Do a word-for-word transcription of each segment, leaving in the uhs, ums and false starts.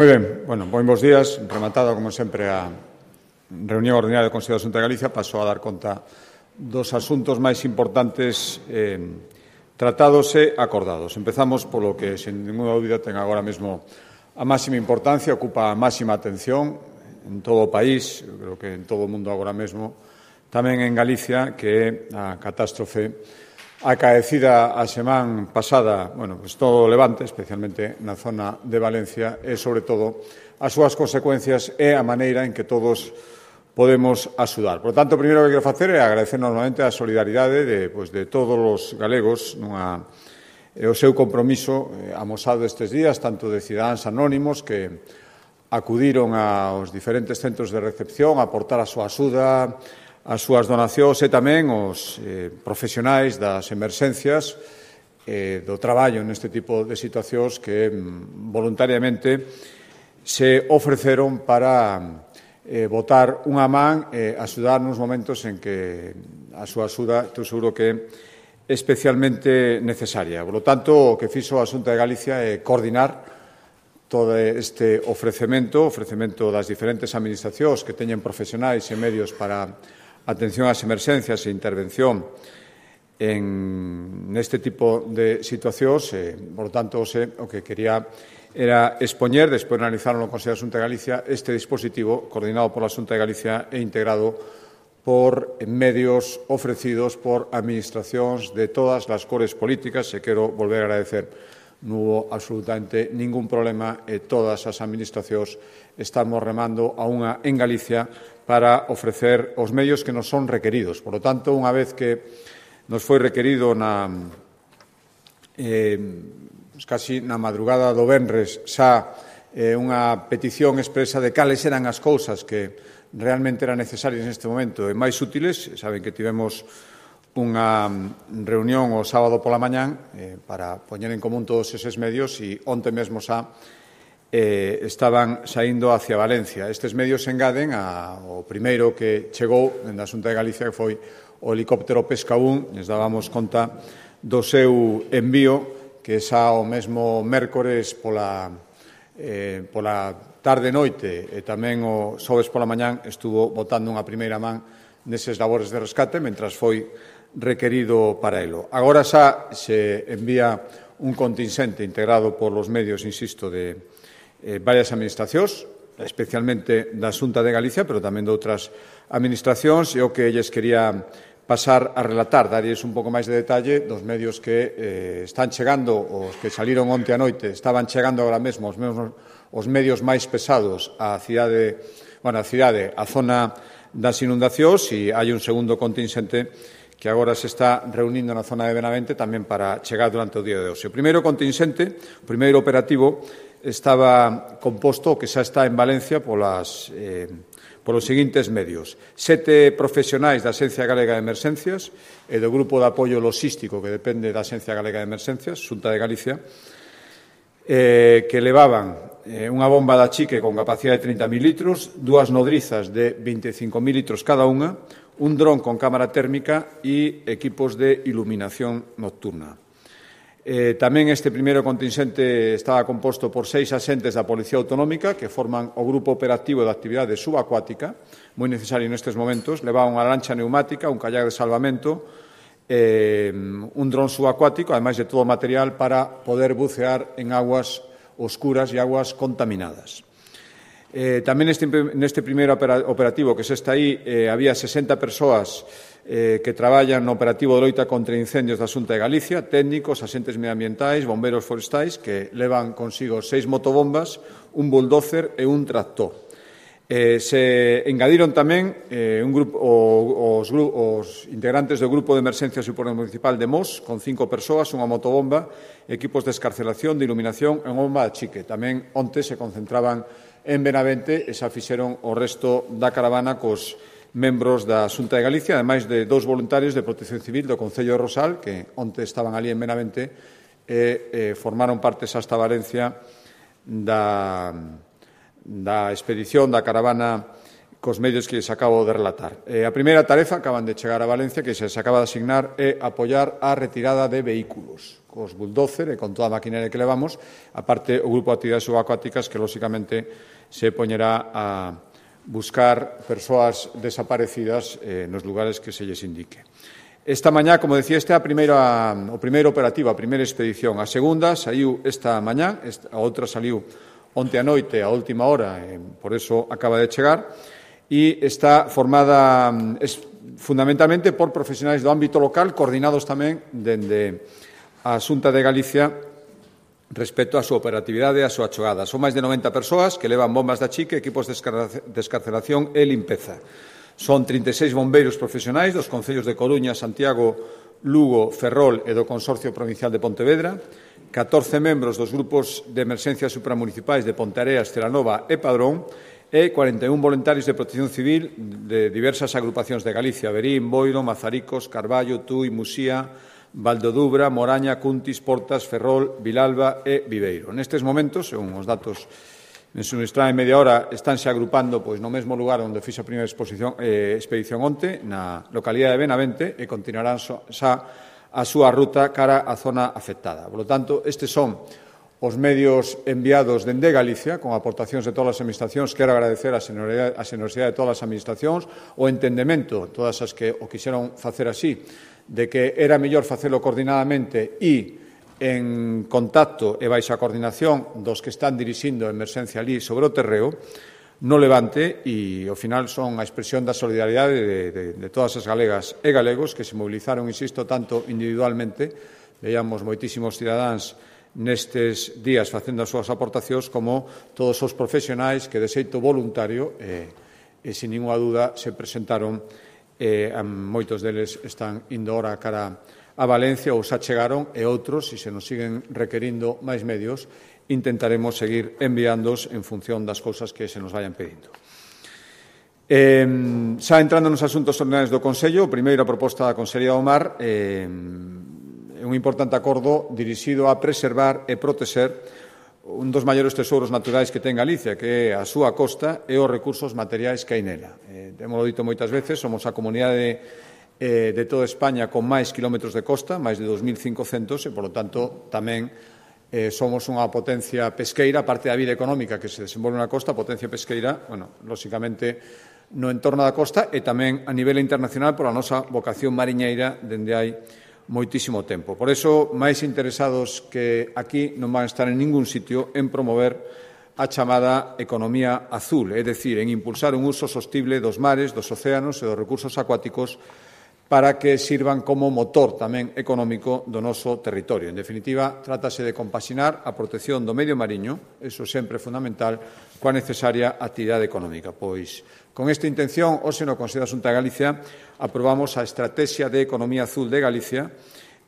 Moi ben, bueno, bons días. Rematada, como sempre, a reunión ordinaria do Consello da Xunta de Galicia, paso a dar conta dos asuntos máis importantes eh, tratados e acordados. Empezamos polo que, sen ninguna dúbida, ten agora mesmo a máxima importancia, ocupa a máxima atención en todo o país, eu creo que en todo o mundo agora mesmo, tamén en Galicia, que é a catástrofe acaecida a semana pasada, bueno, pues todo o Levante, especialmente na zona de Valencia, e, sobre todo, as súas consecuencias e a maneira en que todos podemos axudar. Por lo tanto, o primeiro que quero facer é agradecer normalmente a solidaridade de, pues, de todos os galegos nunha, e o seu compromiso eh, amosado estes días, tanto de cidadáns anónimos que acudiron aos diferentes centros de recepción a aportar a súa axuda, as súas donacións e tamén os eh, profesionais das emerxencias eh, do traballo neste tipo de situacións que mm, voluntariamente se ofreceron para eh, botar unha man e eh, axudar nos momentos en que a súa axuda, estou seguro que é especialmente necesaria. Por lo tanto, o que fixo a Xunta de Galicia é coordinar todo este ofrecemento, ofrecemento das diferentes administracións que teñen profesionais e medios para atención ás emerxencias e intervención en neste tipo de situacións. E, por tanto, o que quería era expoñer, despois de analizarlo no Consello da Xunta de Galicia, este dispositivo coordinado pola Xunta de Galicia e integrado por medios ofrecidos por administracións de todas as cores políticas. E quero volver a agradecer. Non hubo absolutamente ningún problema e todas as administracións estamos remando a unha en Galicia para ofrecer os medios que nos son requeridos. Por lo tanto, unha vez que nos foi requerido na eh, casi na madrugada do venres xa eh, unha petición expresa de cales eran as cousas que realmente eran necesarias neste momento e máis útiles, saben que tivemos unha reunión o sábado pola mañán eh, para poñer en común todos eses medios e onte mesmo xa eh, estaban saindo hacia Valencia. Estes medios se engaden ao primeiro que chegou da Xunta de Galicia, que foi o helicóptero Pesca un. Les dábamos conta do seu envío, que xa o mesmo mércores pola, eh, pola tarde-noite e tamén o xoves pola mañán estuvo botando unha primeira man neses labores de rescate, mentras foi requerido para elo. Agora xa se envía un contingente integrado por los medios, insisto, de eh, varias administracións, especialmente da Xunta de Galicia, pero tamén de outras administracións, e o que lles quería pasar a relatar, darlles un pouco máis de detalle dos medios que eh, están chegando, os que saliron onte a noite, estaban chegando agora mesmo os, mesmos, os medios máis pesados á cidade, bueno, a cidade, a zona das inundacións, e hai un segundo contingente que agora se está reunindo na zona de Benavente tamén para chegar durante o día de hoxe. O primeiro contingente, o primeiro operativo, estaba composto, que xa está en Valencia, polas, eh, polos seguintes medios. Sete profesionais da Axencia Galega de Emerxencias e do Grupo de Apoio Logístico que depende da Axencia Galega de Emerxencias, Xunta de Galicia, eh, que levaban eh, unha bomba de achique con capacidade de trinta mil litros, dúas nodrizas de vinte e cinco mil litros cada unha, un dron con cámara térmica e equipos de iluminación nocturna. Eh, tamén este primeiro contingente estaba composto por seis axentes da Policía Autonómica que forman o Grupo Operativo de Actividade Subacuática, moi necesario nestes momentos. Levaba unha lancha neumática, un kayak de salvamento, eh, un dron subacuático, ademais de todo o material para poder bucear en aguas oscuras e aguas contaminadas. Eh, tamén neste, neste primeiro operativo que se está aí eh, había sesenta persoas eh, que traballan no operativo de loita contra incendios da Xunta de Galicia, técnicos, axentes medioambientais, bomberos forestais, que levan consigo seis motobombas, un bulldozer e un tractor. Eh, se engadiron tamén eh, un grupo, os, os integrantes do Grupo de Emerxencia Supermunicipal de Mos, con cinco persoas, unha motobomba, equipos de escarcelación, de iluminación e unha bomba de chique. Tamén onte se concentraban en Benavente e xa fixeron o resto da caravana cos membros da Xunta de Galicia, ademais de dous voluntarios de Protección Civil do Concello de Rosal, que onte estaban ali en Benavente e eh, formaron parte xa hasta Valencia da, da expedición da caravana cos medios que les acabo de relatar. Eh, a primeira tarefa, acaban de chegar a Valencia, que se acaba de asignar, é apoiar a retirada de vehículos. cos bulldozer e con toda a maquinaria que levamos, aparte o grupo de actividades subacuáticas que, lóxicamente, se poñerá a buscar persoas desaparecidas eh, nos lugares que se lles indique. Esta mañá, como decía, esta é a primeira, o primeiro operativo, a primeira expedición. A segunda saiu esta mañá, a outra saliu onte a noite, a última hora, e por eso acaba de chegar, e está formada es, fundamentalmente por profesionais do ámbito local, coordinados tamén dende a Xunta de Galicia respecto á súa operatividade e á súa chegada. Son máis de noventa persoas que levan bombas de achique, equipos de descarcelación e limpeza. Son trinta e seis bombeiros profesionais dos concellos de Coruña, Santiago, Lugo, Ferrol e do Consorcio Provincial de Pontevedra, catorce membros dos grupos de emerxencias supramunicipais de Ponteareas, Celanova e Padrón e cuarenta e un voluntarios de protección civil de diversas agrupacións de Galicia, Verín, Boiro, Mazaricos, Carballo, Tui, Musía, Valdodubra, Moraña, Cuntis, Portas, Ferrol, Vilalba e Viveiro. Nestes momentos, según os datos me suministraron en media hora, estánse agrupando pois, no mesmo lugar onde fixe a primeira exposición, eh, expedición onte, na localidade de Benavente, e continuarán so, xa a súa ruta cara á zona afectada. Por lo tanto, estes son os medios enviados dende Galicia, con aportacións de todas as administracións. Quero agradecer a xenerosidade de todas as administracións, o entendemento, todas as que o quixeron facer así, de que era mellor facelo coordinadamente e en contacto e baixa a coordinación dos que están dirixindo a emerxencia ali sobre o terreo, no Levante, e ao final son a expresión da solidaridade de, de, de todas as galegas e galegos que se movilizaron, insisto, tanto individualmente, veíamos moitísimos cidadáns nestes días facendo as súas aportacións, como todos os profesionais que de xeito voluntario e, e sin ninguna dúda se presentaron, e moitos deles están indo ora cara a Valencia ou xa chegaron, e outros, se se nos siguen requerindo máis medios, intentaremos seguir enviándos en función das cousas que se nos vayan pedindo. Eh, xa entrando nos asuntos ordinarios do Consello, o primeiro a proposta da Consellería do Mar eh, é un importante acordo dirixido a preservar e protexer un dos maiores tesouros naturais que ten Galicia, que é a súa costa e os recursos materiais que hai nela. Eh, Témolo dito moitas veces, somos a comunidade Eh, de toda España con máis kilómetros de costa, máis de dos mil cincocentos, e, por lo tanto, tamén eh, somos unha potencia pesqueira, parte da vida económica que se desenvolve na costa, potencia pesqueira, bueno, lóxicamente, no entorno da costa e tamén a nivel internacional por a nosa vocación mariñeira dende hai moitísimo tempo. Por eso, máis interesados que aquí non van a estar en ningún sitio en promover a chamada economía azul, é dicir, en impulsar un uso sostible dos mares, dos océanos e dos recursos acuáticos para que sirvan como motor tamén económico do noso territorio. En definitiva, trátase de compaxinar a protección do medio mariño, eso sempre é fundamental, coa necesaria actividade económica. Pois, con esta intención, hoxe no Consello da Xunta de Galicia aprobamos a Estrategia de Economía Azul de Galicia,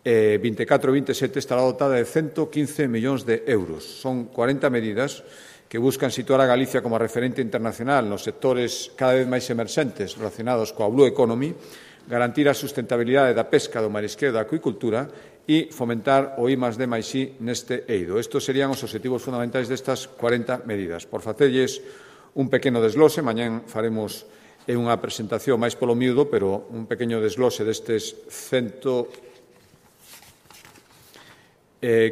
eh, vinte e catro vinte e sete, estará dotada de ciento quince millóns de euros. Son cuarenta medidas que buscan situar a Galicia como referente internacional nos sectores cada vez máis emerxentes relacionados coa Blue Economy, garantir a sustentabilidade da pesca, do marisqueo e da acuicultura e fomentar o I más D máis I neste eido. Estos serían os obxectivos fundamentais destas cuarenta medidas. Por facelles un pequeno desglose, mañán faremos unha presentación máis polo miúdo, pero un pequeno desglose destes ciento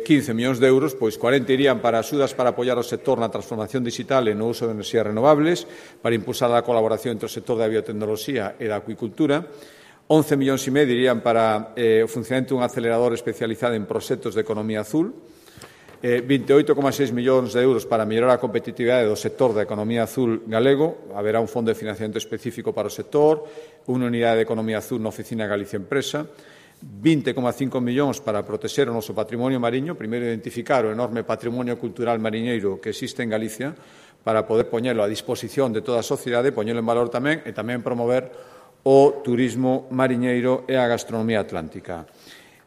quince millóns de euros, pois cuarenta irían para axudas para apoiar o sector na transformación digital e no uso de enerxías renovables, para impulsar a colaboración entre o sector da biotecnoloxía e da acuicultura. once millóns e medio irían para eh, o funcionamento dun acelerador especializado en proxectos de economía azul, eh, vinte e oito coma seis millóns de euros para mellorar a competitividade do sector da economía azul galego, haberá un fondo de financiamento específico para o sector, unha unidade de economía azul na Oficina Galicia Empresa, vinte coma cinco millóns para protexer o noso patrimonio mariño, primeiro identificar o enorme patrimonio cultural mariñeiro que existe en Galicia para poder poñelo a disposición de toda a sociedade, poñelo en valor tamén e tamén promover o turismo mariñeiro e a gastronomía atlántica.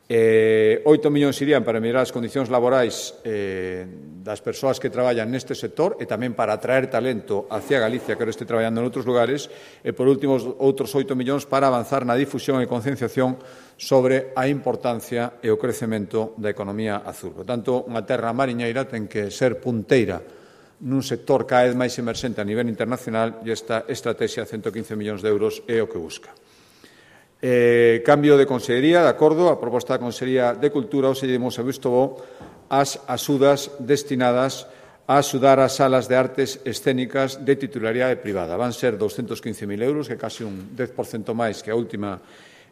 Eh, oito millóns irían para mellorar as condicións laborais eh, das persoas que traballan neste sector e tamén para atraer talento hacia Galicia que ahora este traballando en outros lugares e, por último, outros oito millóns para avanzar na difusión e concienciación sobre a importancia e o crecemento da economía azul. Por tanto, unha terra mariñeira ten que ser punteira nun sector cada vez máis emerxente a nivel internacional e esta estrategia de ciento quince millóns de euros é o que busca. Eh, cambio de consellería, de acordo, a proposta da Consellería de Cultura, hoxe demos a visto bo as axudas destinadas a axudar as salas de artes escénicas de titularidade privada. Van ser doscientos quince mil euros, que é casi un dez por cento máis que a última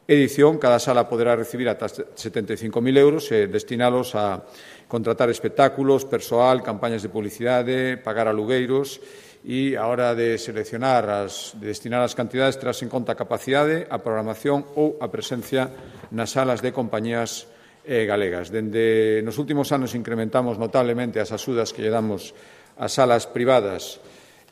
edición. Cada sala poderá recibir ata setenta e cinco mil euros e destinalos a contratar espectáculos, persoal, campañas de publicidade, pagar alugueiros e a hora de seleccionar, as, de destinar as cantidades, terás en conta a capacidade, a programación ou a presencia nas salas de compañías eh, galegas. Dende nos últimos anos incrementamos notablemente as axudas que lle damos ás salas privadas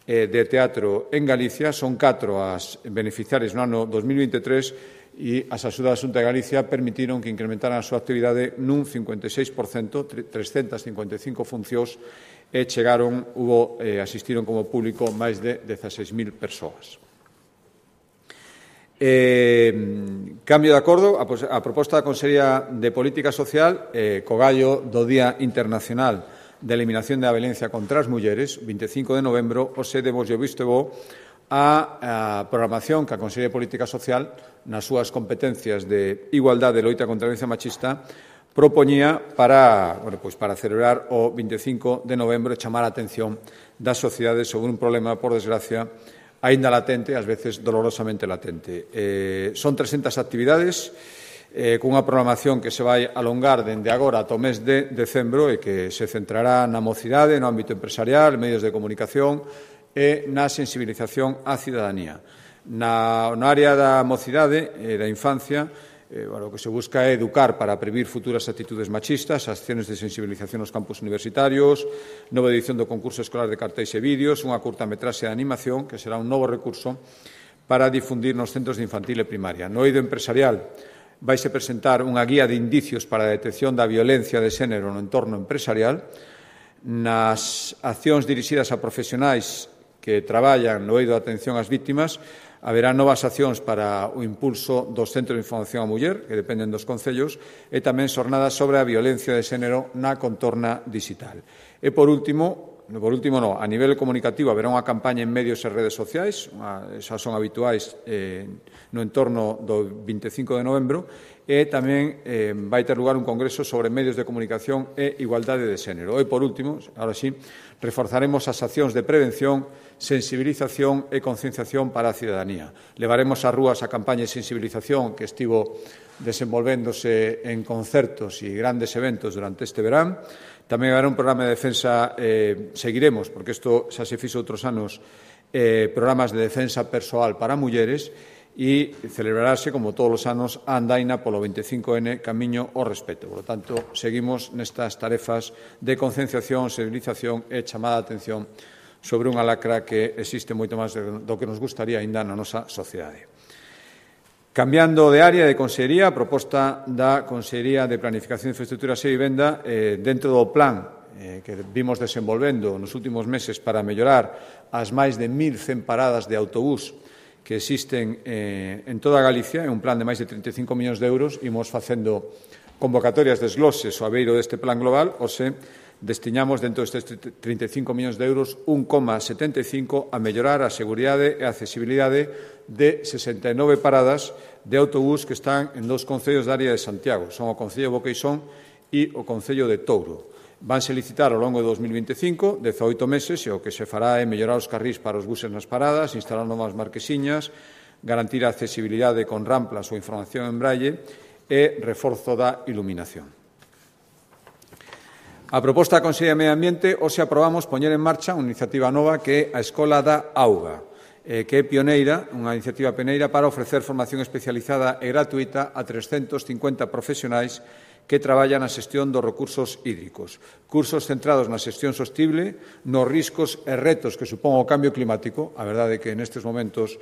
eh, de teatro en Galicia. Son catro as beneficiarias no ano dos mil veintitrés e as axudas da Xunta de Galicia permitiron que incrementaran a súa actividade nun cincuenta e seis por cento, trescentas cincuenta e cinco funcións, e chegaron, hubo, eh, asistiron como público máis de dezaseis mil persoas. Eh, cambio de acordo, a, a proposta da Consellería de Política Social, eh, co gallo do Día Internacional de Eliminación da Violencia contra as Mulleres, vinte e cinco de novembro, hoxe demos o visto bo a, a programación que a Consellería de Política Social, nas súas competencias de igualdade e loita contra a violencia machista, propoñía para, bueno, pois para celebrar o vinte e cinco de novembro e chamar a atención da sociedade sobre un problema, por desgracia, aínda latente, ás veces dolorosamente latente. Eh, son trescentas actividades eh, cunha programación que se vai alongar dende agora ata o mes de decembro e que se centrará na mocidade, no ámbito empresarial, medios de comunicación e na sensibilización á cidadanía. Na, na área da mocidade e da infancia, Eh, bueno, o que se busca é educar para prevenir futuras actitudes machistas, acciones de sensibilización nos campus universitarios, nova edición do concurso escolar de cartéis e vídeos, unha curtametraxe de animación, que será un novo recurso para difundir nos centros de infantil e primaria. No eido empresarial vaise presentar unha guía de indicios para a detección da violencia de xénero no entorno empresarial. Nas accións dirixidas a profesionais que traballan no eido de atención ás vítimas, haberá novas accións para o impulso dos centros de información á muller, que dependen dos concellos, e tamén xornadas sobre a violencia de xénero na contorna digital. E, por último, por último no, a nivel comunicativo haberá unha campaña en medios e redes sociais, unha, esas son habituais eh, no entorno do vinte e cinco de novembro, e tamén eh, vai ter lugar un congreso sobre medios de comunicación e igualdade de xénero. E, por último, ahora sí, reforzaremos as accións de prevención, sensibilización e concienciación para a cidadanía. Levaremos ás rúas a campaña de sensibilización que estivo desenvolvéndose en concertos e grandes eventos durante este verán. Tamén haberá un programa de defensa, eh, seguiremos, porque isto xa se fixo outros anos, eh, programas de defensa persoal para mulleres, e celebrarase, como todos os anos, a andaina polo vinte e cinco ene Camiño ao Respeto. Por lo tanto, seguimos nestas tarefas de concienciación, sensibilización e chamada de atención sobre unha lacra que existe moito máis do que nos gustaría aínda na nosa sociedade. Cambiando de área de consellería, a proposta da Consellería de Planificación, Infraestructuras e Vivenda, eh, dentro do plan eh, que vimos desenvolvendo nos últimos meses para mellorar as máis de mil cen paradas de autobús que existen eh, en toda Galicia, é un plan de máis de trinta e cinco millóns de euros, imos facendo convocatorias de desgloses ao abeiro deste plan global, ou se destinamos dentro destes trinta e cinco millóns de euros un coma setenta e cinco a mellorar a seguridade e a accesibilidade de sesenta e nove paradas de autobús que están en dous concellos da área de Santiago. Son o Concello de Boqueixón e o Concello de Touro. Vanse licitar ao longo de dos mil vinte e cinco, dezaoito meses, e o que se fará é mellorar os carrís para os buses nas paradas, instalar novas marquesiñas, garantir a accesibilidade con ramplas ou información en braille e reforzo da iluminación. A proposta da Consellería de Medio Ambiente, hoxe aprobamos poñer en marcha unha iniciativa nova que é a Escola da Auga, eh, que é pioneira, unha iniciativa pioneira para ofrecer formación especializada e gratuita a trescentos cincuenta profesionais que traballan na xestión dos recursos hídricos. Cursos centrados na xestión sostible, nos riscos e retos que supón o cambio climático. A verdade é que nestes momentos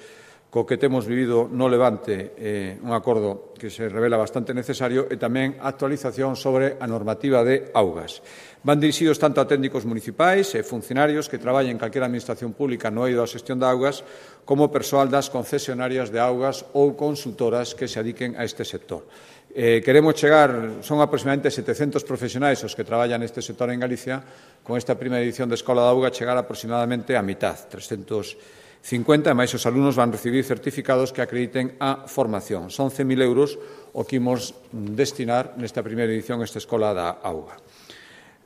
co que temos vivido no Levante, eh, un acordo que se revela bastante necesario, e tamén actualización sobre a normativa de augas. Van dirixidos tanto a técnicos municipais e funcionarios que traballen en calquera administración pública no eido a xestión de augas, como persoal das concesionarias de augas ou consultoras que se adiquen a este sector. Eh, queremos chegar, son aproximadamente setecentos profesionais os que traballan neste sector en Galicia, con esta primeira edición de Escola da Auga chegar aproximadamente a mitad, trescentos cincuenta, e máis os alumnos van recibir certificados que acrediten a formación. Son cen mil euros o que imos destinar nesta primeira edición a esta Escola da Auga.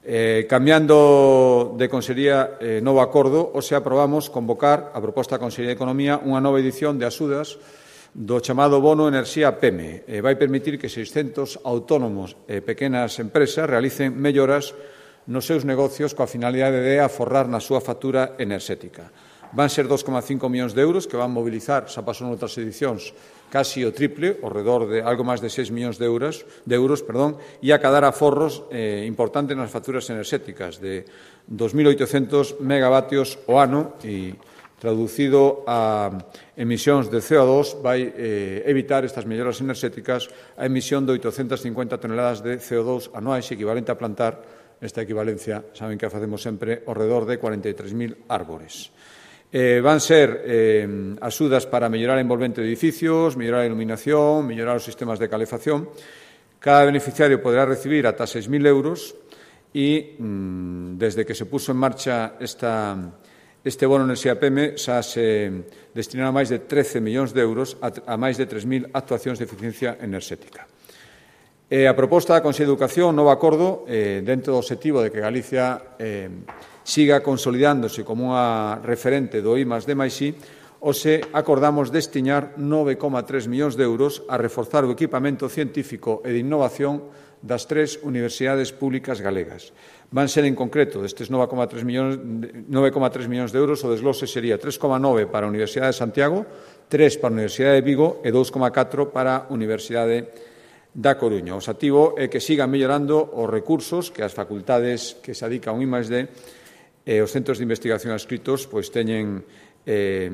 Eh, cambiando de Consellería, eh, novo acordo, hoxe aprobamos convocar a proposta da Consellería de Economía unha nova edición de axudas do chamado Bono Enerxía P E M E. Eh, vai permitir que seiscentos autónomos e pequenas empresas realicen melloras nos seus negocios coa finalidade de aforrar na súa factura enerxética. Van ser dos coma cinco millóns de euros que van mobilizar, xa pasou noutras edicións, casi o triple, ao redor de algo máis de seis millóns de euros, de euros perdón, e acadar aforros eh, importantes nas facturas enerxéticas de dos mil oitocentos megavatios ao ano e traducido a emisións de C O dos vai eh, evitar estas melloras enerxéticas a emisión de oitocentas cincuenta toneladas de C O dos anuais equivalente a plantar, esta equivalencia, saben que a facemos sempre, ao redor de cuarenta e tres mil árbores. Eh, van ser eh, axudas para mellorar a envolvente de edificios, mellorar a iluminación, mellorar os sistemas de calefacción. Cada beneficiario poderá recibir ata seis mil euros e, mm, desde que se puso en marcha esta, este bono enerxía P E M E, xa se destinaron máis de trece millóns de euros a, a máis de tres mil actuacións de eficiencia enerxética. Eh, a proposta da Consello de Educación, novo acordo, eh, dentro do obxectivo de que Galicia eh, siga consolidándose como unha referente do I más D máis I, hoxe acordamos destinar nove coma tres millóns de euros a reforzar o equipamento científico e de innovación das tres universidades públicas galegas. Van ser, en concreto, destes nove coma tres millóns de euros, o desglose sería tres coma nove para a Universidade de Santiago, tres para a Universidade de Vigo e dous coma catro para a Universidade da Coruña. O obxectivo é que sigan mellorando os recursos que as facultades que se adican ao I más D e os centros de investigación adscritos pois teñen eh,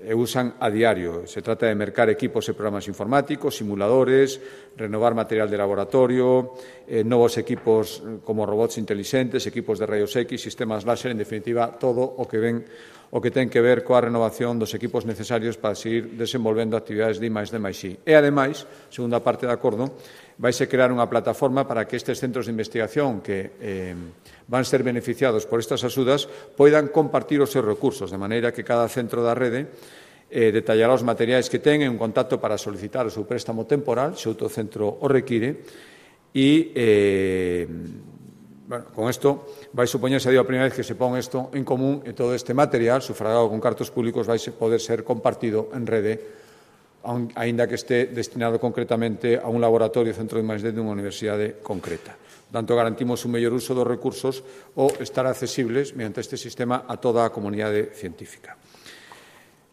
e usan a diario. Se trata de mercar equipos e programas informáticos, simuladores, renovar material de laboratorio, eh, novos equipos como robots intelixentes, equipos de rayos X, sistemas láser, en definitiva, todo o que ven o que ten que ver coa renovación dos equipos necesarios para seguir desenvolvendo actividades de I más D máis I. E, ademais, segunda parte do acordo, vaise crear unha plataforma para que estes centros de investigación que eh, van ser beneficiados por estas axudas poidan compartir os seus recursos, de maneira que cada centro da rede eh, detallará os materiais que ten en un contacto para solicitar o seu préstamo temporal, se outro centro o require, e eh, bueno, con isto vai supoñerse a primeira vez que se pon isto en común e todo este material, sufragado con cartos públicos, vai poder ser compartido en rede, aínda que este destinado concretamente a un laboratorio centro de I más D dunha universidade concreta. Por tanto, garantimos un mellor uso dos recursos ou estar accesibles mediante este sistema a toda a comunidade científica.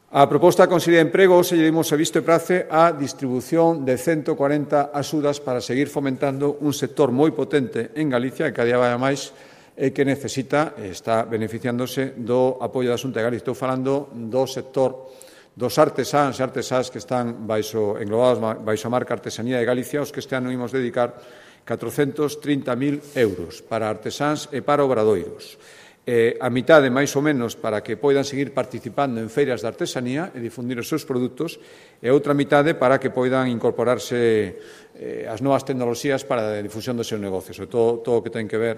A proposta da Consellería de Emprego se lle dimos a visto e prace a distribución de ciento cuarenta axudas para seguir fomentando un sector moi potente en Galicia, que cada día vai máis e que necesita, está beneficiándose do apoio da Xunta de Galicia. Estou falando do sector dos artesáns e artesás que están baixo, englobados baixo a marca Artesanía de Galicia, os que este ano imos dedicar catrocentos trinta mil euros para artesáns e para obradoiros. Eh, a mitade, máis ou menos, para que poidan seguir participando en feiras de artesanía e difundir os seus produtos, e outra mitade para que poidan incorporarse eh, as novas tecnoloxías para a difusión dos seus negocios, sobre todo todo o que ten que ver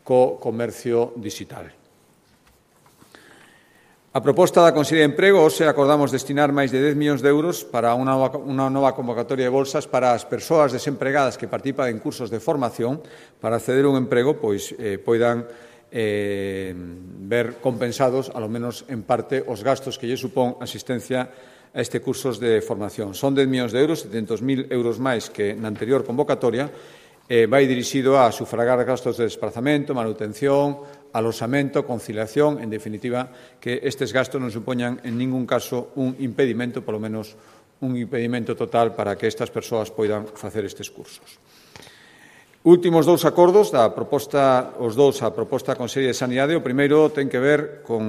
co comercio digital. A proposta da Consellería de Emprego, hoxe acordamos destinar máis de dez millóns de euros para unha nova, unha nova convocatoria de bolsas para as persoas desempregadas que participan en cursos de formación para acceder a un emprego, pois eh, poidan eh, ver compensados, ao menos en parte, os gastos que lle supón asistencia a este cursos de formación. Son dez millóns de euros, setecentos mil euros máis que na anterior convocatoria, eh, vai dirixido a sufragar gastos de desplazamento, manutención, alosamento, conciliación, en definitiva, que estes gastos non supoñan en ningún caso un impedimento, polo menos un impedimento total para que estas persoas poidan facer estes cursos. Últimos dous acordos da proposta, os dous a proposta da Consellería de Sanidade. O primeiro ten que ver con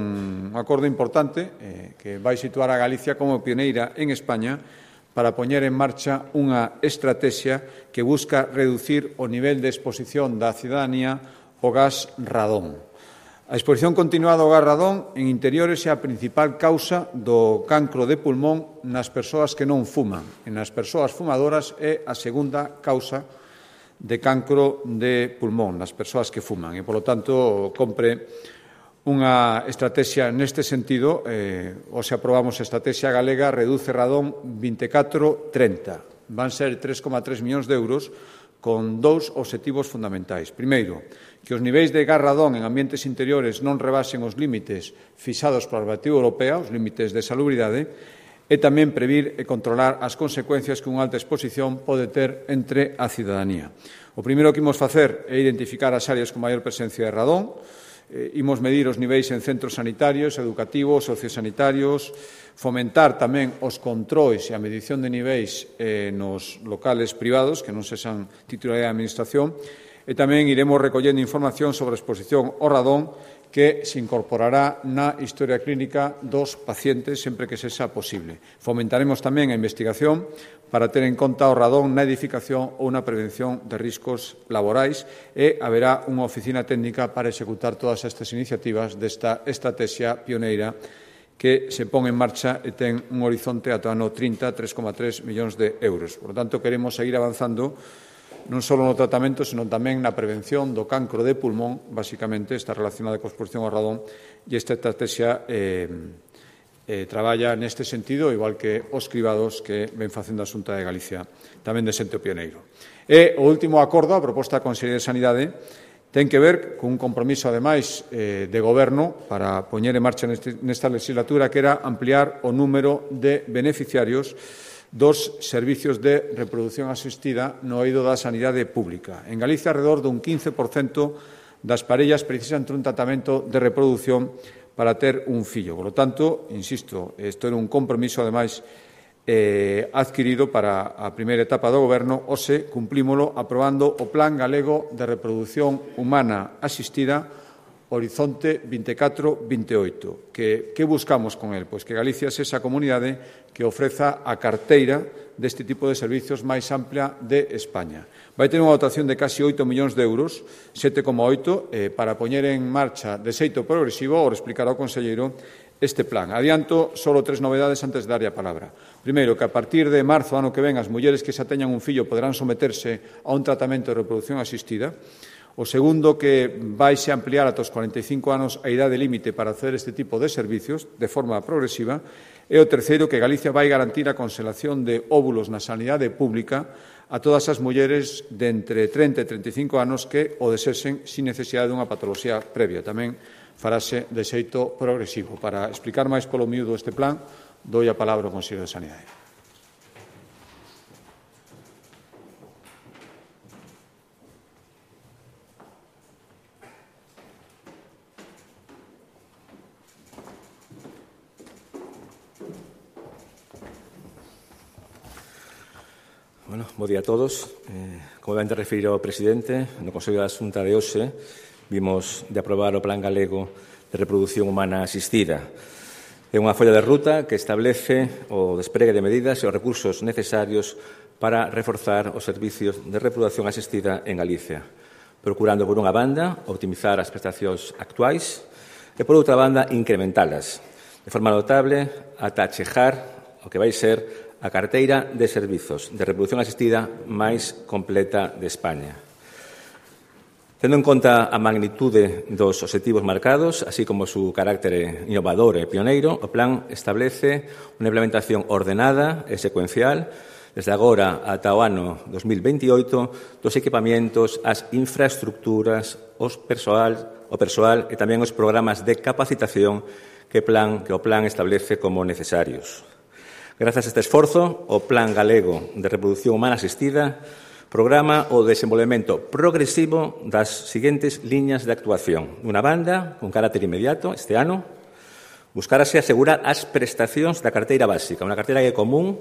un acordo importante eh, que vai situar a Galicia como pioneira en España para poñer en marcha unha estrategia que busca reducir o nivel de exposición da cidadanía ao gas radón. A exposición continuada ao gas radón en interiores é a principal causa do cancro de pulmón nas persoas que non fuman. E nas persoas fumadoras é a segunda causa de cancro de pulmón nas persoas que fuman. E, polo tanto, compre unha estrategia neste sentido, eh, ou se aprobamos a estrategia galega, reduce radón vinte e catro trinta. Van ser tres coma tres millóns de euros con dous obxectivos fundamentais. Primeiro, que os niveis de gas radón en ambientes interiores non rebasen os límites fixados pola normativa europea, os límites de salubridade, e tamén previr e controlar as consecuencias que unha alta exposición pode ter entre a cidadanía. O primeiro que imos facer é identificar as áreas con maior presencia de radón, eh, imos medir os niveis en centros sanitarios, educativos, sociosanitarios, fomentar tamén os controis e a medición de niveis eh, nos locales privados, que non sexan titularidade da Administración, e tamén iremos recollendo información sobre a exposición ao radón que se incorporará na historia clínica dos pacientes sempre que sexa posible. Fomentaremos tamén a investigación para ter en conta o radón na edificación ou na prevención de riscos laborais e haberá unha oficina técnica para executar todas estas iniciativas desta estrategia pioneira que se pon en marcha e ten un horizonte ata o ano trinta, tres coma tres millóns de euros. Por lo tanto, queremos seguir avanzando non só no tratamento, senón tamén na prevención do cancro de pulmón, basicamente está relacionada coa exposición ao radón, e esta estrategia eh, eh, traballa neste sentido, igual que os cribados que ven facendo a Xunta de Galicia, tamén de xente pioneiro. E o último acordo, a proposta da Consellería de Sanidade, ten que ver con un compromiso, ademais, eh, de goberno para poñer en marcha neste, nesta legislatura, que era ampliar o número de beneficiarios dos servicios de reproducción asistida no eido da sanidade pública. En Galicia, alrededor dun quince por cento das parellas precisan un tratamento de reproducción para ter un fillo. Por lo tanto, insisto, isto era un compromiso, ademais, eh, adquirido para a primeira etapa do Goberno, hoxe cumplímolo aprobando o Plan Galego de Reproducción Humana Asistida Horizonte vinte e catro vinte e oito. Que, que buscamos con el? Pois que Galicia é esa comunidade que ofreza a carteira deste tipo de servicios máis amplia de España. Vai ter unha dotación de casi oito millóns de euros, sete coma oito, eh, para poñer en marcha de xeito progresivo, ou explicar ao conselleiro, este plan. Adianto solo tres novedades antes de darlle a palabra. Primeiro, que a partir de marzo do ano que ven as mulleres que xa teñan un fillo poderán someterse a un tratamento de reproducción asistida. O segundo, que vaise ampliar ata os cuarenta e cinco anos a idade límite para hacer este tipo de servicios de forma progresiva. E o terceiro, que Galicia vai garantir a conservación de óvulos na sanidade pública a todas as mulleres de entre trinta e treinta e cinco anos que o desexen sin necesidade dunha patoloxía previa. Tamén farase de xeito progresivo. Para explicar máis polo miúdo este plan, doi a palabra ao Conselleiro de Sanidade. Bueno, bo día a todos. Eh, como ben te referiu o presidente, no Consello da Xunta de hoxe vimos de aprobar o Plan Galego de Reproducción Humana Asistida. É unha folla de ruta que establece o despregue de medidas e os recursos necesarios para reforzar os servicios de reproducción asistida en Galicia, procurando, por unha banda, optimizar as prestacións actuais e, por outra banda, incrementalas, de forma notable, ata chegar o que vai ser a carteira de servizos de reproducción asistida máis completa de España. Tendo en conta a magnitude dos obxectivos marcados, así como o seu carácter innovador e pioneiro, o plan establece unha implementación ordenada e secuencial desde agora ata o ano dos mil veintioito dos equipamentos, as infraestructuras, os persoal, o persoal e tamén os programas de capacitación que, plan, que o plan establece como necesarios. Grazas a este esforzo, o Plan Galego de Reproducción Humana Asistida programa o desenvolvemento progresivo das seguintes liñas de actuación. Unha banda, con carácter inmediato, este ano, buscarase asegurar as prestacións da carteira básica, unha carteira que é común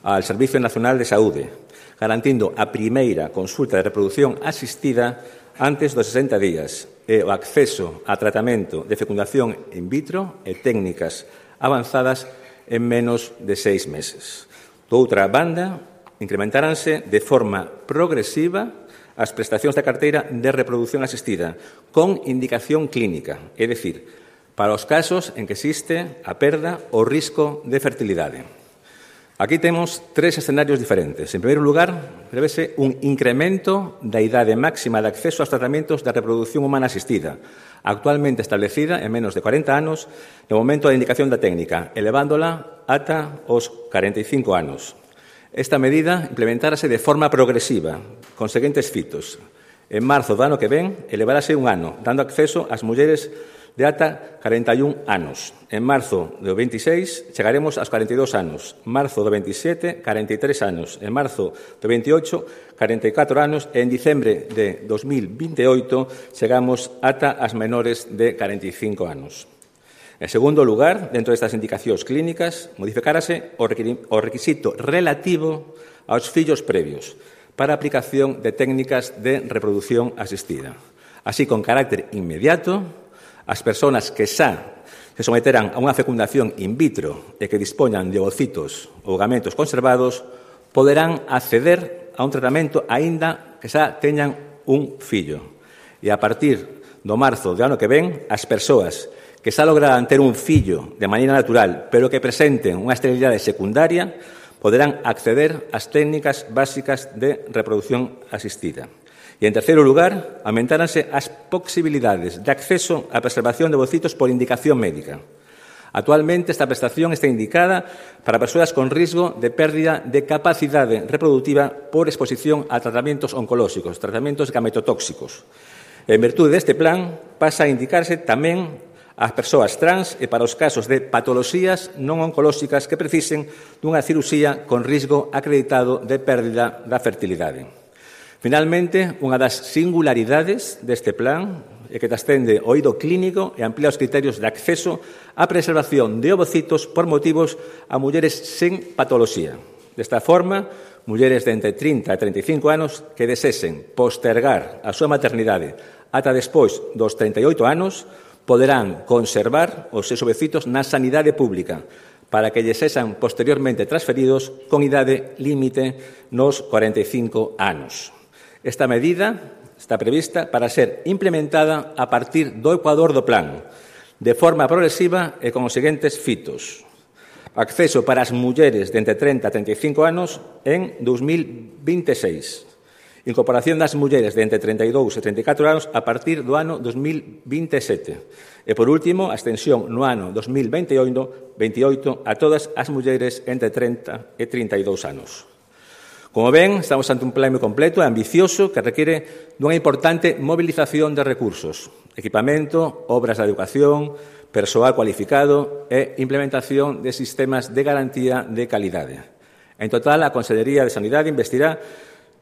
ao Servicio Nacional de Saúde, garantindo a primeira consulta de reproducción asistida antes dos sesenta días e o acceso a tratamento de fecundación in vitro e técnicas avanzadas en menos de seis meses. Do outra banda, incrementaránse de forma progresiva as prestacións da carteira de reproducción asistida con indicación clínica, é dicir, para os casos en que existe a perda ou risco de fertilidade. Aquí temos tres escenarios diferentes. En primeiro lugar, prevese un incremento da idade máxima de acceso aos tratamentos de reproducción humana asistida, actualmente establecida en menos de cuarenta anos no momento da indicación da técnica, elevándola ata os cuarenta e cinco anos. Esta medida implementarase de forma progresiva, con seguintes fitos. En marzo do ano que ven, elevarase un ano, dando acceso ás mulleres de ata cuarenta e un anos. En marzo do veintiséis chegaremos aos cuarenta e dous anos. Marzo do veintisiete, cuarenta e tres anos. En marzo do veintiocho, cuarenta e catro anos. E en diciembre de dos mil veintioito chegamos ata as menores de cuarenta e cinco anos. En segundo lugar, dentro destas indicacións clínicas, modificárase o requisito relativo aos fillos previos para a aplicación de técnicas de reproducción asistida. Así, con carácter inmediato, as persoas que xa se someterán a unha fecundación in vitro e que dispoñan de ovocitos ou gametos conservados poderán acceder a un tratamento aínda que xa teñan un fillo. E a partir do marzo do ano que ven, as persoas que xa lograran ter un fillo de maneira natural pero que presenten unha esterilidade secundaria poderán acceder ás técnicas básicas de reproducción asistida. E, en terceiro lugar, aumentáranse as posibilidades de acceso á preservación de ovocitos por indicación médica. Actualmente, esta prestación está indicada para persoas con risco de pérdida de capacidade reproductiva por exposición a tratamentos oncolóxicos, tratamentos gametotóxicos. En virtude deste plan, pasa a indicarse tamén ás persoas trans e para os casos de patoloxías non oncolóxicas que precisen dunha cirurxía con risco acreditado de pérdida da fertilidade. Finalmente, unha das singularidades deste plan é que trascende o eido clínico e amplía os criterios de acceso á preservación de ovocitos por motivos a mulleres sen patoloxía. Desta forma, mulleres de entre trinta e treinta e cinco anos que desesen postergar a súa maternidade ata despois dos treinta e oito anos poderán conservar os seus ovocitos na sanidade pública para que lles sexan posteriormente transferidos con idade límite nos cuarenta e cinco anos. Esta medida está prevista para ser implementada a partir do ecuador do plan, de forma progresiva e con os seguintes fitos. Acceso para as mulleres de entre trinta e treinta e cinco anos en dos mil veintiséis. Incorporación das mulleres de entre trinta e dous e treinta e catro anos a partir do ano dos mil veintisiete. E, por último, a extensión no ano dos mil veintioito a todas as mulleres entre trinta e trinta e dous anos. Como ven, estamos ante un plan moi completo e ambicioso que requiere dunha importante movilización de recursos, equipamento, obras de educación, persoal cualificado e implementación de sistemas de garantía de calidade. En total, a Consellería de Sanidade investirá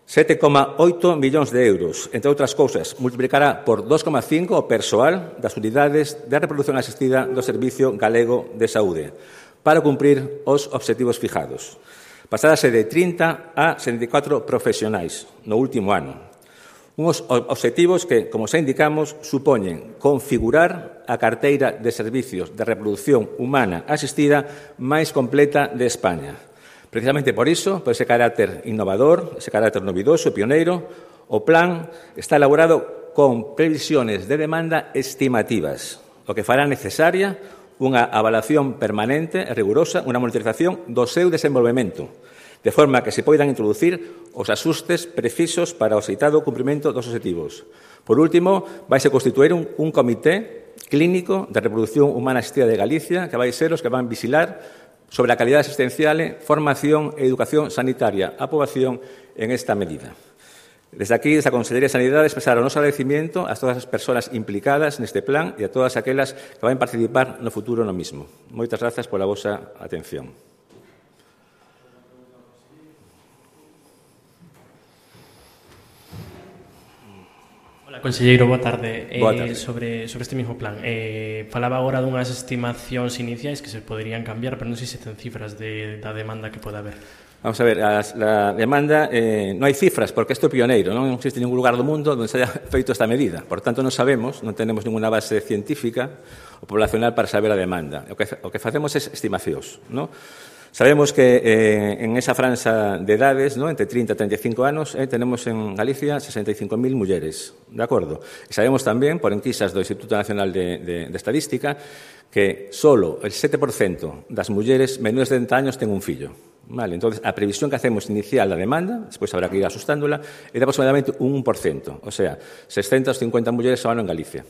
sete coma oito millóns de euros. Entre outras cousas, multiplicará por dos coma cinco o persoal das unidades de reproducción asistida do Servicio Galego de Saúde para cumprir os obxectivos fijados. Pasarase de trinta a setenta e catro profesionais no último ano. Uns obxectivos que, como xa indicamos, supoñen configurar a carteira de servicios de reproducción humana asistida máis completa de España. Precisamente por iso, por ese carácter innovador, ese carácter novidoso e pioneiro, o plan está elaborado con previsiones de demanda estimativas, o que fará necesaria unha avaliación permanente e rigurosa, unha monitorización do seu desenvolvemento, de forma que se poidan introducir os axustes precisos para o citado cumprimento dos obxectivos. Por último, vaise constituir un, un comité clínico de reproducción humana asistida de Galicia que vai ser os que van vigilar sobre a calidade asistencial, formación e educación sanitaria á poboación en esta medida. Desde aquí, desde a Consellería de Sanidade, expresar o noso agradecimiento a todas as persoas implicadas neste plan e a todas aquelas que van participar no futuro no mismo. Moitas grazas pola vosa atención. Hola, conselleiro, boa tarde. Boa tarde. Eh, sobre, sobre este mismo plan. Eh, falaba agora dunhas estimacións iniciais que se poderían cambiar, pero non sei se ten cifras de, da demanda que pode haber. Vamos a ver, as, la demanda, eh, non hai cifras, porque isto é pioneiro, non existe ningún lugar do mundo onde se haya feito esta medida. Por tanto, non sabemos, non tenemos ninguna base científica ou poblacional para saber a demanda. O que, o que facemos é estimacións, non? Sabemos que eh, en esa franja de edades, ¿no?, entre trinta e treinta e cinco anos, eh, tenemos en Galicia sesenta e cinco mil mulleres, de acordo? E sabemos tamén, por enquisas do Instituto Nacional de, de, de Estadística, que solo el sete por cento das mulleres menores de trinta años ten un fillo. Vale, entonces, a previsión que hacemos inicial da demanda, despois habrá que ir asustándola, é de aproximadamente un un por cento, o sea, seiscentas cincuenta mulleres ao ano en Galicia.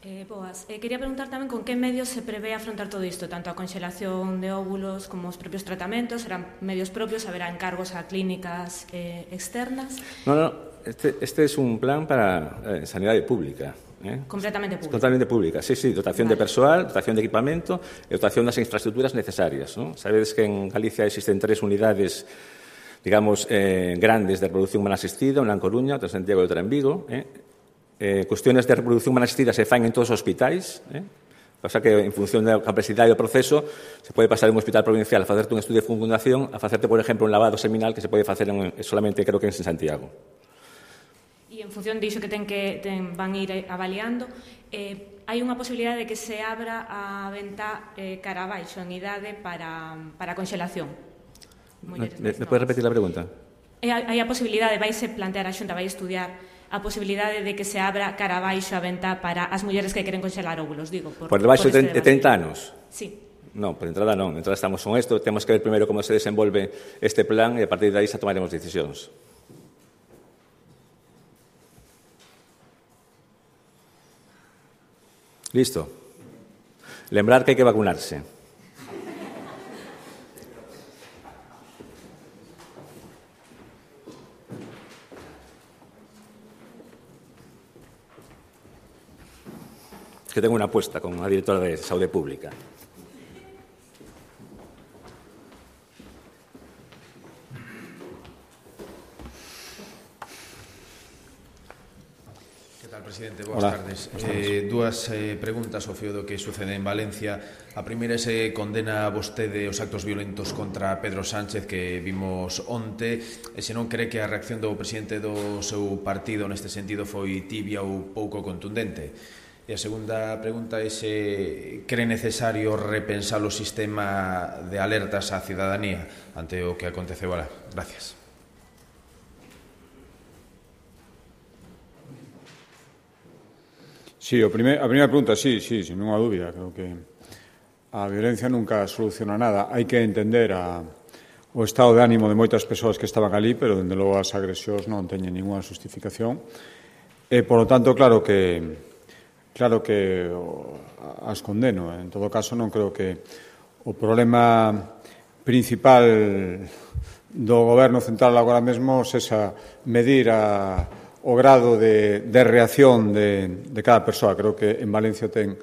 Eh, boas. Eh, quería preguntar tamén con que medios se prevé afrontar todo isto, tanto a conxelación de óvulos como os propios tratamentos, serán medios propios, haberá encargos a clínicas eh, externas? No, no, este, este es un plan para eh, sanidade pública. Eh? Completamente pública. Totalmente pública, sí, sí, dotación vale. de persoal, dotación de equipamento e dotación das infraestructuras necesarias. ¿no? Sabedes que en Galicia existen tres unidades, digamos, eh, grandes de reproducción humana asistida, unha en Coruña, outra en Santiago e outra en Vigo. Eh? Eh, cuestiones de reproducción humana asistida se fan en todos os hospitais, eh? Pasa que en función da complexidade do proceso se pode pasar de un hospital provincial a facerte un estudio de fecundación a facerte, por exemplo, un lavado seminal que se pode facer en, solamente, creo que en Santiago. E en función diso que ten que ten, van ir avaliando, eh, hai unha posibilidade de que se abra a venta eh, cara abaixo en idade para, para conxelación. Me, me podes repetir a pregunta? E hai a posibilidade, vaise plantear a Xunta, vai estudiar a posibilidade de que se abra cara abaixo a venta para as mulleres que queren conxelar óvulos, digo. Por, por debaixo por de trinta anos? Sí. Non, por entrada non. Entrada estamos con isto, temos que ver primeiro como se desenvolve este plan e a partir de aí xa tomaremos decisións. Listo. Lembrar que hai que vacunarse. Que tengo unha apuesta con a directora de Saúde Pública. Presidente, boas Hola. tardes. Eh, dúas eh, preguntas ao fío do que sucede en Valencia. A primeira é se condena vostede os actos violentos contra Pedro Sánchez que vimos onte e se non cree que a reacción do presidente do seu partido neste sentido foi tibia ou pouco contundente. E a segunda pregunta é se cree necesario repensar o sistema de alertas á cidadanía ante o que aconteceu alá. Gracias. Sí, o primer, a primeira pregunta, sí, sí, sin ninguna dúbida. Creo que a violencia nunca soluciona nada. Hai que entender a, o estado de ánimo de moitas persoas que estaban ali, pero, dende logo, as agresións non teñen ninguna justificación. E, por lo tanto, claro que claro que as condeno. En todo caso, non creo que o problema principal do Goberno central agora mesmo sexa medir a o grado de, de reacción de, de cada persoa. Creo que en Valencia ten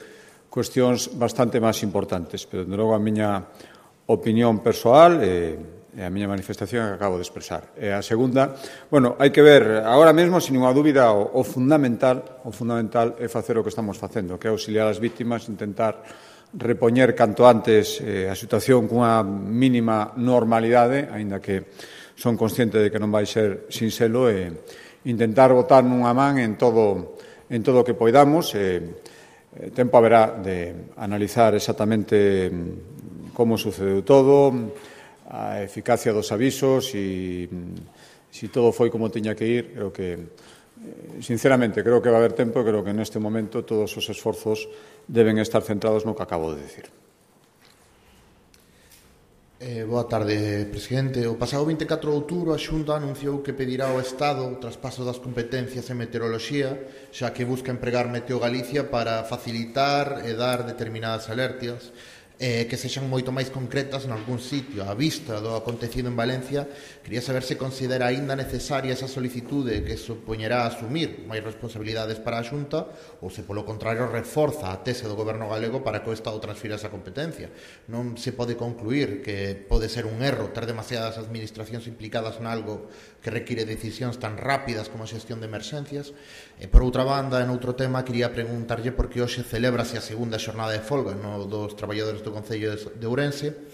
cuestións bastante máis importantes, pero, de logo, a miña opinión persoal e, e a miña manifestación que acabo de expresar. E a segunda, bueno, hai que ver, agora mesmo, sin ninguna dúbida, o, o fundamental o fundamental é facer o que estamos facendo, que é auxiliar as vítimas, intentar repoñer canto antes eh, a situación cunha mínima normalidade, aínda que son consciente de que non vai ser sin selo, e intentar botar nunha man en todo en todo o que poidamos. Eh, tempo haberá de analizar exactamente como sucedeu todo, a eficacia dos avisos e se todo foi como tiña que ir. Creo que, sinceramente, creo que va a haber tempo e creo que neste momento todos os esforzos deben estar centrados no que acabo de decir. Eh, boa tarde, presidente. O pasado vinte e catro de outubro a Xunta anunciou que pedirá ao Estado o traspaso das competencias en meteoroloxía, xa que busca empregar Meteo Galicia para facilitar e dar determinadas alertas eh, que sexan moito máis concretas nalgún sitio. A vista do acontecido en Valencia, quería saber se considera aínda necesaria esa solicitude que supoñerá asumir máis responsabilidades para a Xunta ou se, polo contrario, reforza a tese do Goberno galego para que o Estado transfira esa competencia. Non se pode concluir que pode ser un erro ter demasiadas administracións implicadas nalgo que require decisións tan rápidas como a xestión de emerxencias. E, por outra banda, en outro tema, quería preguntarlle por que hoxe celébrase a segunda xornada de folga no dos traballadores do Concello de Ourense.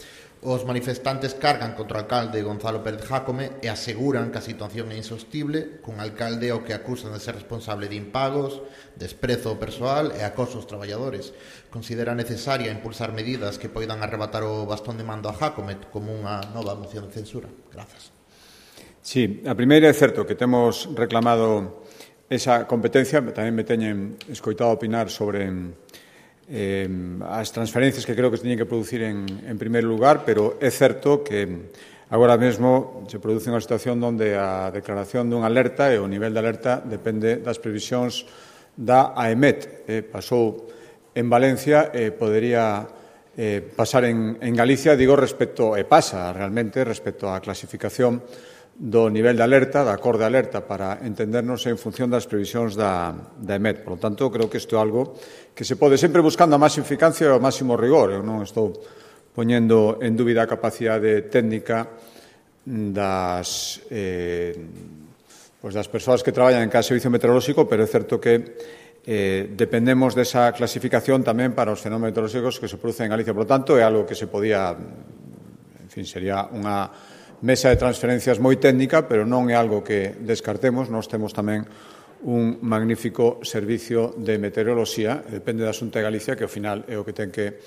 Os manifestantes cargan contra o alcalde Gonzalo Pérez Jácome e aseguran que a situación é insostible, cun alcalde ao que acusan de ser responsable de impagos, desprezo ao persoal e acoso aos traballadores. Considera necesaria impulsar medidas que poidan arrebatar o bastón de mando a Jácome como unha nova moción de censura. Grazas. Sí, a primeira é certo que temos reclamado esa competencia, tamén me teñen escoitado opinar sobre eh, as transferencias que creo que se teñen que producir en, en primeiro lugar, pero é certo que agora mesmo se produce unha situación onde a declaración dunha alerta e o nivel de alerta depende das previsións da AEMET. Eh, pasou en Valencia e eh, podería eh, pasar en, en Galicia, digo, respecto, e pasa realmente respecto á clasificación do nivel de alerta, da cor de alerta, para entendernos en función das previsións da, da EMET. Por lo tanto, creo que isto é algo que se pode, sempre buscando a máxima eficacia e o máximo rigor. Eu non estou poñendo en dúbida a capacidade técnica das, eh, pues das persoas que traballan en cada servicio meteorolóxico, pero é certo que eh, dependemos desa clasificación tamén para os fenómenos meteorolóxicos que se producen en Galicia. Por lo tanto, é algo que se podía, en fin, sería unha mesa de transferencias moi técnica, pero non é algo que descartemos. Nós temos tamén un magnífico servicio de meteoroloxía, depende da Xunta de Galicia, que ao final é o que ten que,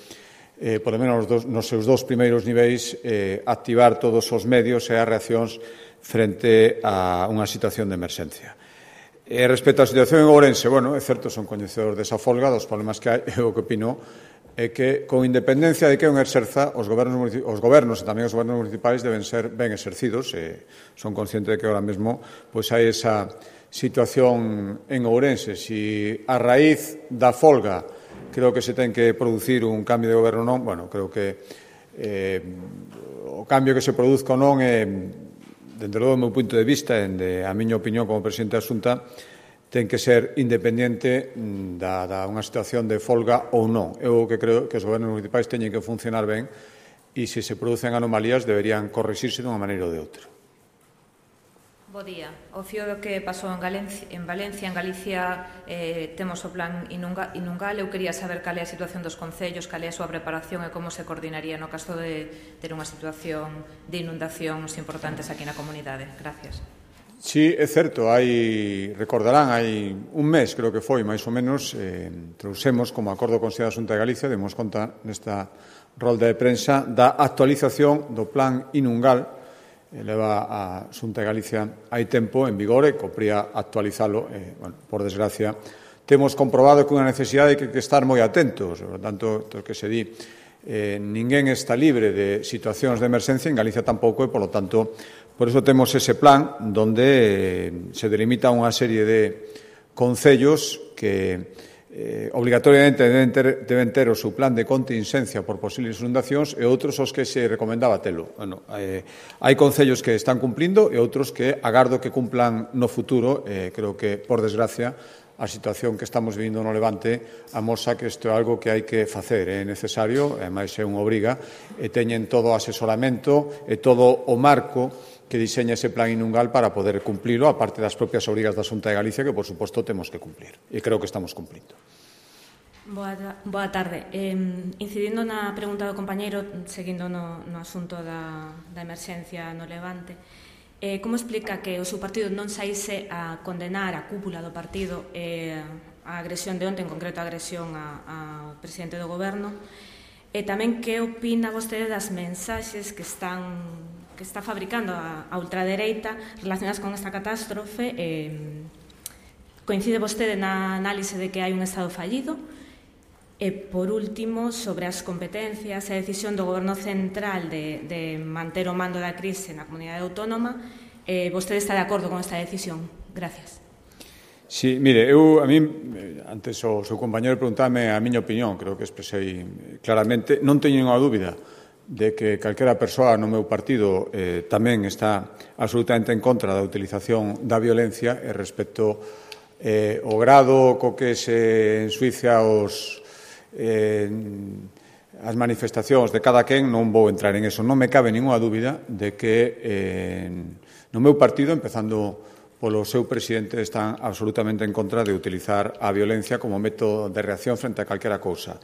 eh, por lo menos nos, nos seus dous primeiros niveis, eh, activar todos os medios e as reaccións frente a unha situación de emerxencia. E respecto á situación en Ourense, bueno, é certo, son coñecedores desa folga, dos problemas que hai, é o que opino é que, con independencia de que un exerza, os gobernos, os gobernos e tamén os gobernos municipais deben ser ben exercidos. E son consciente de que ahora mesmo pois, hai esa situación en Ourense. Si a raíz da folga creo que se ten que producir un cambio de goberno non, bueno, creo que eh, o cambio que se produzca ou non é, dende logo, do meu punto de vista, e de a miña opinión como presidente da Xunta, ten que ser independente da, da unha situación de folga ou non. Eu que creo que os gobernos municipais teñen que funcionar ben e, se se producen anomalías, deberían corrixirse dunha maneira ou de outra. Bo día. O fío do que pasou en, Galencia, en Valencia, en Galicia, eh, temos o plan Inunga, Inungal. Eu quería saber cal é a situación dos concellos, cal é a súa preparación e como se coordinaría no caso de ter unha situación de inundacións importantes aquí na comunidade. Gracias. Sí, é certo, hai, recordarán, hai un mes, creo que foi, máis ou menos, eh, trouxemos como acordo con a Xunta de Galicia, demos conta nesta rolda de prensa da actualización do plan Inungal. Eh, leva a Xunta de Galicia hai tempo en vigor e copría actualizalo. Eh, bueno, por desgracia, temos comprobado que unha necesidade que, que estar moi atentos. Por tanto, to que se di, eh, ninguén está libre de situacións de emerxencia, en Galicia tampouco, e, polo tanto, por iso temos ese plan donde se delimita unha serie de concellos que eh, obligatoriamente deben ter, deben ter o seu plan de contingencia por posibles inundacións e outros os que se recomendaba telo. Bueno, eh, hai concellos que están cumplindo e outros que agardo que cumplan no futuro. Eh, creo que, por desgracia, a situación que estamos vivindo no Levante amosa que isto é algo que hai que facer, é necesario, e máis é unha obriga, e teñen todo o asesoramento e todo o marco que diseña ese plan Inungal para poder cumplilo, aparte das propias obrigas da Xunta de Galicia, que, por suposto, temos que cumplir. E creo que estamos cumplindo. Boa, boa tarde. Eh, incidindo na pregunta do compañeiro, seguindo no, no asunto da, da emerxencia no Levante, eh, como explica que o seu partido non saíse a condenar a cúpula do partido eh, a agresión de onte, en concreto a agresión ao presidente do goberno, e tamén que opina vostede das mensaxes que están que está fabricando a, a ultradereita relacionadas con esta catástrofe? Eh, coincide vostede na análise de que hai un Estado fallido? E, por último, sobre as competencias e a decisión do Goberno Central de, de manter o mando da crise na comunidade autónoma, eh, vostede está de acordo con esta decisión? Gracias. Sí, mire, eu, a mí, antes o seu compañero preguntame a miña opinión, creo que expresei claramente, non teño unha dúbida de que calquera persoa no meu partido eh, tamén está absolutamente en contra da utilización da violencia e respecto eh, o grado co que se ensuicia os, eh, as manifestacións de cada quen. Non vou entrar en eso. Non me cabe ninguna dúbida de que eh, no meu partido, empezando polo seu presidente, están absolutamente en contra de utilizar a violencia como método de reacción frente a calquera cousa.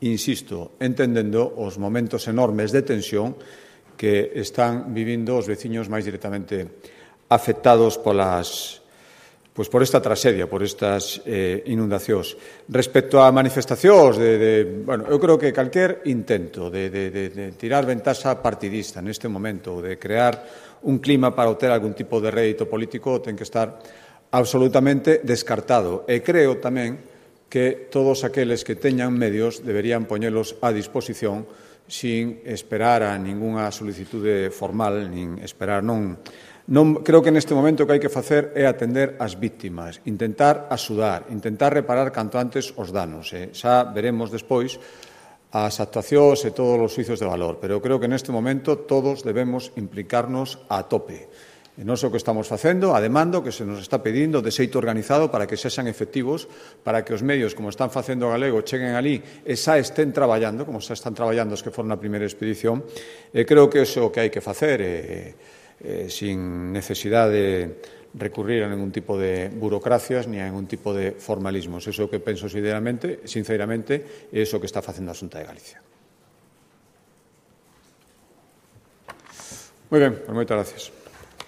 Insisto, entendendo os momentos enormes de tensión que están vivindo os veciños máis directamente afectados polas, pois por esta tragedia, por estas eh, inundacións. Respecto a manifestacións, de, de, bueno, eu creo que calquer intento de, de, de, de tirar ventaxa partidista neste momento, de crear un clima para obter algún tipo de rédito político, ten que estar absolutamente descartado. E creo tamén que todos aqueles que teñan medios deberían poñelos a disposición sin esperar a ningunha solicitude formal, nin esperar non... Non, creo que neste momento o que hai que facer é atender as víctimas, intentar axudar, intentar reparar canto antes os danos. Eh? Xa veremos despois as actuacións e todos os xuicios de valor, pero eu creo que neste momento todos debemos implicarnos a tope. E non sei o que estamos facendo, a demanda que se nos está pedindo de xeito organizado para que sexan efectivos, para que os medios, como están facendo o galego, cheguen ali e xa estén traballando, como xa están traballando os que foron na primeira expedición. E creo que iso é o que hai que facer, e, e, sin necesidade de recurrir a ningún tipo de burocracias ni a ningún tipo de formalismos. Iso é o que penso sinceramente, sinceramente, é iso que está facendo a Xunta de Galicia. Moi ben, pues moitas gracias.